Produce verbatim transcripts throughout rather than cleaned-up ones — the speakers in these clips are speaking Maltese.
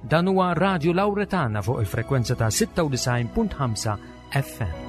Dan huwa Radio Lauretana fuq il-frekwenza ta' sitta u disgħin punt ħamsa F M.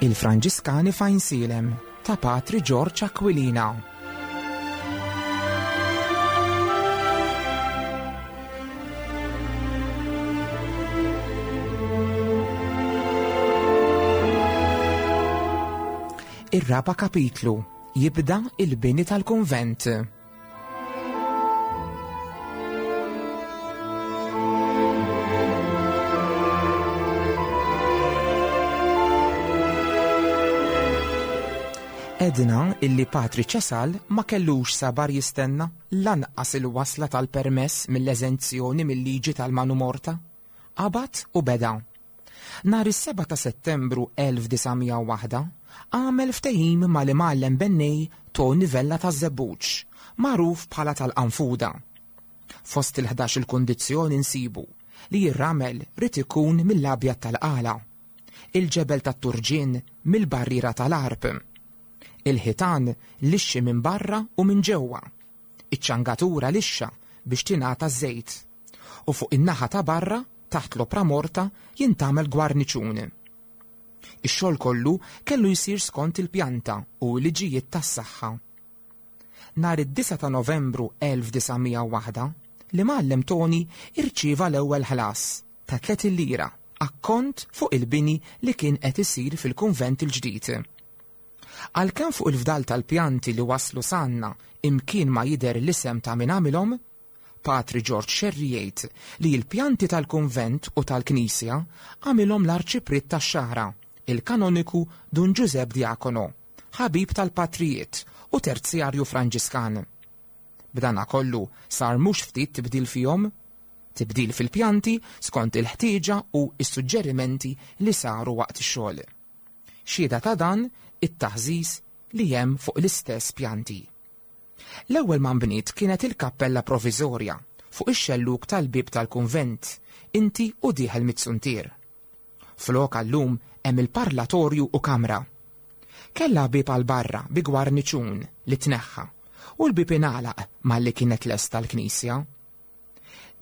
Il-Franġiskani f'Għajnsielem ta' Patri George Aquilina. Ir-raba kapitlu jibda il-bini tal-kunvent. Għedna illi Patri Ċesal ma kellux sabar jistenna lanqas il-wasla tal-permess mill-eżenzjoni mill-liġi tal-manu morta. Qabad u beda. Nhar is-seba' ta' Settembru elf disa' mija u waħda għamel ftehim mal-imgħallem bennej Tony Vella taż-Żebbuġ, magħruf bħala tal-Qanfuda. Fost il-ħdax il-kundizzjoni nsibu li r-ramel irid ikun mill-abjad tal-qala, il-ġebel tat-turġien mill-barriera tal-Għarb, il-ħitan lixxi minn barra u minn ġewwa, iċ-ċangatura lixxa biex tingħata żejt, u fuq in-naħa ta' barra taħt l-opra morta jintgħamel gwarniċun. Ix-xogħol kollu kellu jsir skont il-pjanta u l-liġijiet tas-saħħa. Nhar id-disa ta' Novembru elf disa' mija u waħda, l-imgħallem Tony irċieva l-ewwel ħlas ta' tletin lira akkont fuq il-bini li kien qed isir fil-kunvent il-ġdid. Għalkemm fuq il-fdal tal-pjanti li waslu s'għandna imkien ma jidher l-isem ta' min għamilhom, Patri George Scerri jgħid li l-pjanti tal-kunvent u tal-knisja għamilhom l-arċipriet tax-Xagħra, il-kanoniku Dun Giuseppe Diacono, ħabib tal-patrijiet u terzjarju Franġiskan. B'dana kollu sar mhux ftit tibdil fihom, tibdil fil-pjanti skont il-ħtieġa u s-suġġerimenti li saru waqt ix-xogħol. Xhieda ta' dan it-taħżiż li hemm fuq l-istess pjanti. L-ewwel ma nbniet kienet il-kappella provviżorja fuq ix-xelluk tal-bib tal-kunvent, inti u dieħel mit-suntier. Flok għallum hemm il-parlatorju u kamra. Kella bib għal barra bi gwarniċun li tneħħa u l-bib ingħalaq malli kienet lesta l-knisja.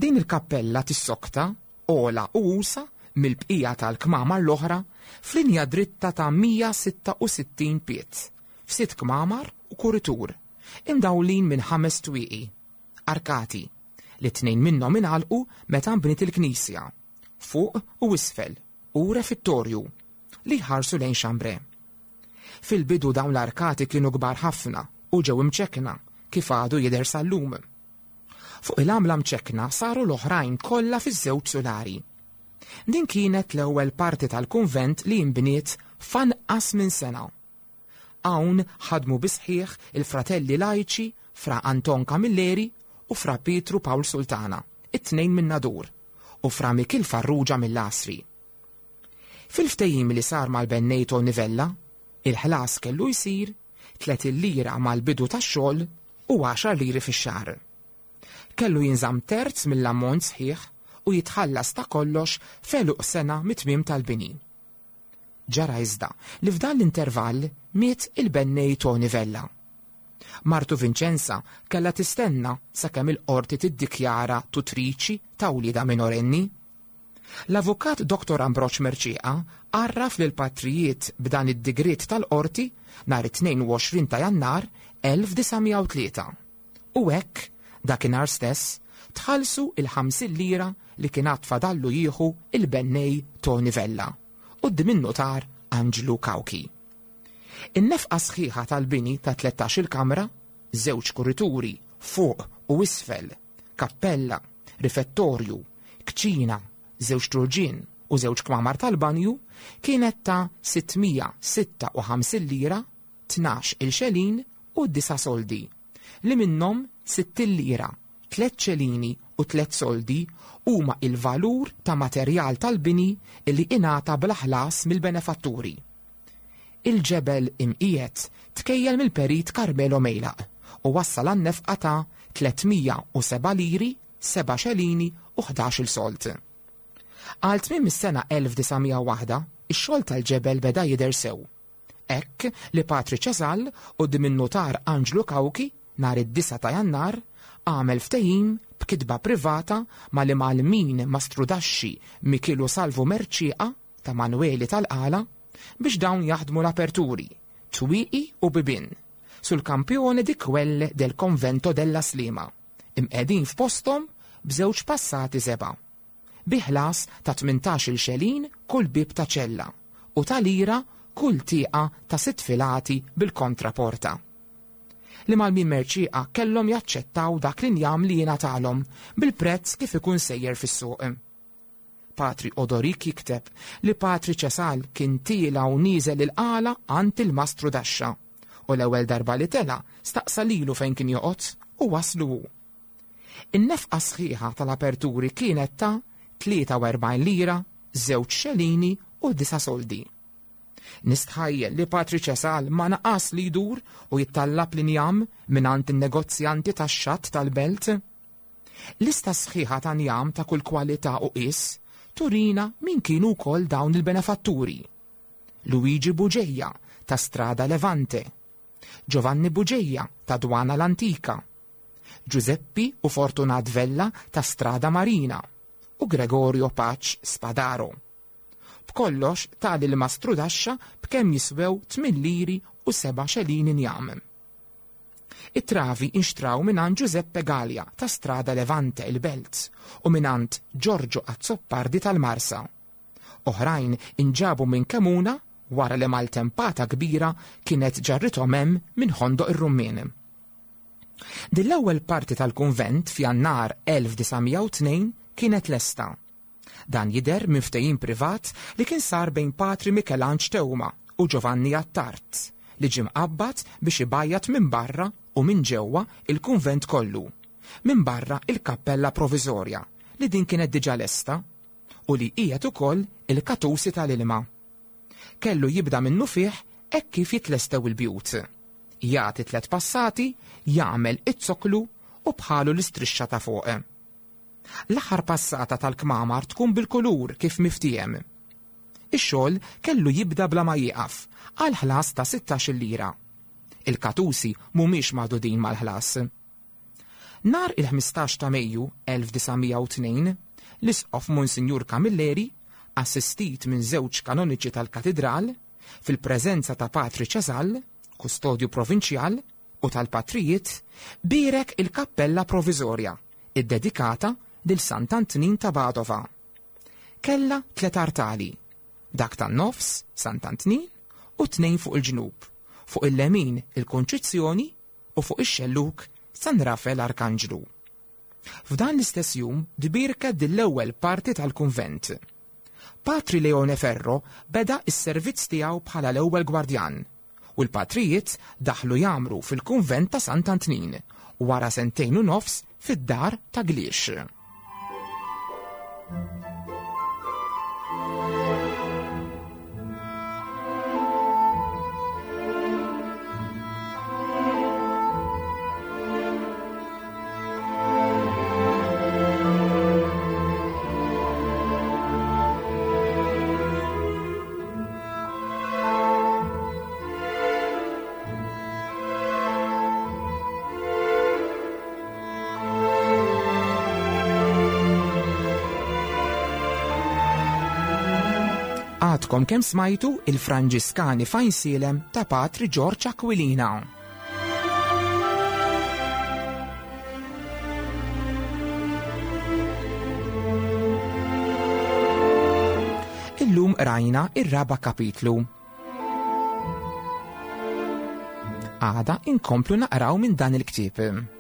Din il-kappella tissokta ogħla u usa' mill-bqija tal-kmamar l-oħra f'linja dritta ta' mija sitta u sittin pied, f'sitt kmamar u kuritur, imdawlin minn ħames twieqi, arkati, li tnejn minnhom ingħalqu meta nbniet il-knisja, fuq u isfel, u refettorju, li jħarsu lejn Chambray. Fil-bidu dawn l-arkati kienu kbar ħafna u ġew imċekkna kif għadu jidher sal-lum. Fuq il-għamla mċekkna saru l-oħrajn kollha fiż-żewġ sulari. Din kienet l-ewwel parti tal-kunvent li nbniet f'anqas minn sena. Hawn ħadmu bisħiħ il-fratelli lajċi Fra Anton Camilleri u Fra Pietru Pawl Sultana, it-tnejn minn Nadur, u Fra Mikil Farrugia mill-Għasri. Fil-ftehim li sar mal-bennej Tony Vella, il-ħlas kellu jsir tletin lira mal-bidu tax-xogħol u għaxar liri fix-xahar. Kellu jinżamm terz mill-ammont sħiħ u jitħallas ta' kollox f'għeluq sena mit-tmiem tal-bini. Ġara iżda li f'dan l-intervall miet il-bennej Tony Vella. Martu Vincenza kella tistenna sakemm il-qorti tiddikjara tutriċi ta' wliedha minorenni. L-avukat Dottor Ambroġ Mercieca għarraf lil patrijiet b'dan id-digriet tal-qorti nhar it-tnejn u għoxrin ta' Jannar elf disa' mija u tlieta. U hekk dakinhar stess tħallsu il-ħamsin lira li kien għad fadallu jieħu il-bennej Tony Vella quddiem in-notar Anġlu Kawki. In-nefqa sħiħa tal-bini ta' tlettax-il kamra, żewġ kurituri fuq u isfel, kappella, rifettorju, kċina, żewġ turġien u żewġ kmamar tal-banju kienet ta' sittmija sitta u ħamsin lira, tnax il-xelin u disa' soldi, li minnhom sittin lira, tliet xelini u tliet soldi huma il-valur ta' materjal tal-bini li ingħata bla ħlas mill-benefatturi. Il-ġebel imqiegħed tkejjel mill-perit Carmelo Mejlaq u wassal għan-nefqa ta' tlietmija u seba' liri, seba' xelini u ħdax-il sold. Għal tmiem is-sena elf disa' mija u waħda, ix-xogħol tal-ġebel beda jidher sew. Hekk li Patri Ċesal quddiem in-nutar Anġlu Kawki nhar id-disa' ta' Jannar għamel ftehim b'kitba privata mal-imgħallmin mastrudaxxi Mikilu Salvu Merċieqa ta' Manueli tal-Qala biex dawn jaħdmu l-aperturi, twieqi u bibien sul-kampjone di quelle del convento della Slima, imqegħdin f'posthom b'żewġ passati seba', bi ħlas ta' tmintax-il xelin kull bib ta' ċella u ta' lira kull tieqa ta' sitt filati bil-kontraporta. Li mal-min Merċieqa kellhom jaċċettaw dak l-injam li jingħatalhom bil-prezz kif ikun sejjer fis-suq. Patri Odorik jikteb li Patri Ċesal kien tiela u nieżel il-qala għand il-mastru Daxxa u l-ewwel darba li tela staqsa lilu fejn kien joqgħod u waslu hu. In-nefqa sħiħa tal-aperturi kienet ta' tlieta u erbgħin lira, żewġ xelini u disa' soldi. Nistħajjel li Patri Ċesal ma naqas li jdur u jittallab l-injam mingħand in-negozjanti tax-xatt tal-belt. Lista sħiħa ta' njam ta' kull kwalità u qies turina min kienu wkoll dawn il-benefatturi. Luigi Buġeja ta' Strada Levante, Giovanni Buġeja ta' Dwana l-Antika, Giuseppi u Fortunat Vella ta' Strada Marina u Gregorio Pace Spadaro. B'kollox tali l-mastru Daxxa b'kemm jiswew tmien liri u seba' xelin injam. It-travi inxtraw mingħand Giuseppe Gallia ta' Strada Levante il-Belt u mingħand Giorgio Azzopardi tal-Marsa. Oħrajn inġabu minn Kemuna wara li maltempata kbira kienet ġarrithom hemm minn Ħondoq ir-Rummien. Din l-ewwel parti tal-kunvent f'Jannar elf disa' mija u tnejn kienet lesta. Dan jidher minn ftehim privat li kien sar bejn Patri Mikelanġ Teuma u Giovanni Attard li ġie mqabbad biex ibajjat minn barra u minn ġewwa il-kunvent kollu, minn barra il-kappella proviżorja li din kienet diġà lesta u li qiegħed ukoll il-katusi tal-ilma. Kellu jibda minnu fih hekk kif jitlestew il-bjut. Jagħti tliet passati, jagħmel it-soklu u bħalu l-istrixxa ta' fuq. L-aħħar passata tal-kmamar tkun bil-kulur kif miftiem. Ix-xogħol kellu jibda bla ma jieqaf għal ħlas ta' sittax-il lira. Il-katusi mhumiex magħdudin mal-ħlas. Nhar il-ħmistax ta' Mejju elf disa' mija u tnejn, l-Isqof Monsinjur Camilleri, assistit minn żewġ kanoniċi tal-Katidral, fil-preżenza ta' Patri Ċesal, kustodju provinċjal, u tal-patrijiet, bierek il-kappella proviżorja, iddedikata lil Sant'Antnin ta' Padova. Kella tliet artali, dak tan-nofs, Sant'Antnin, u tnejn fuq il-ġnub, fuq il-lemin il-Kunċizzjoni u fuq ix-xelluk San Rafel Arkanġlu. F'dan l-istess jum dbirket din l-ewwel parti tal-kunvent. Patri Leone Ferro beda s-servizz tiegħu bħala l-ewwel gwardjan u l-patrijiet daħlu jagħmru fil-kunvent ta' Sant'Antnin wara sentejn u nofs fid-dar ta' Gliex. Għadkom kemm smajtu il-Franġiskani f'Għajnsielem ta' Patri George Aquilina. Illum rajna ir-raba' kapitlu. Għada inkomplu naqraw minn dan il-ktieb.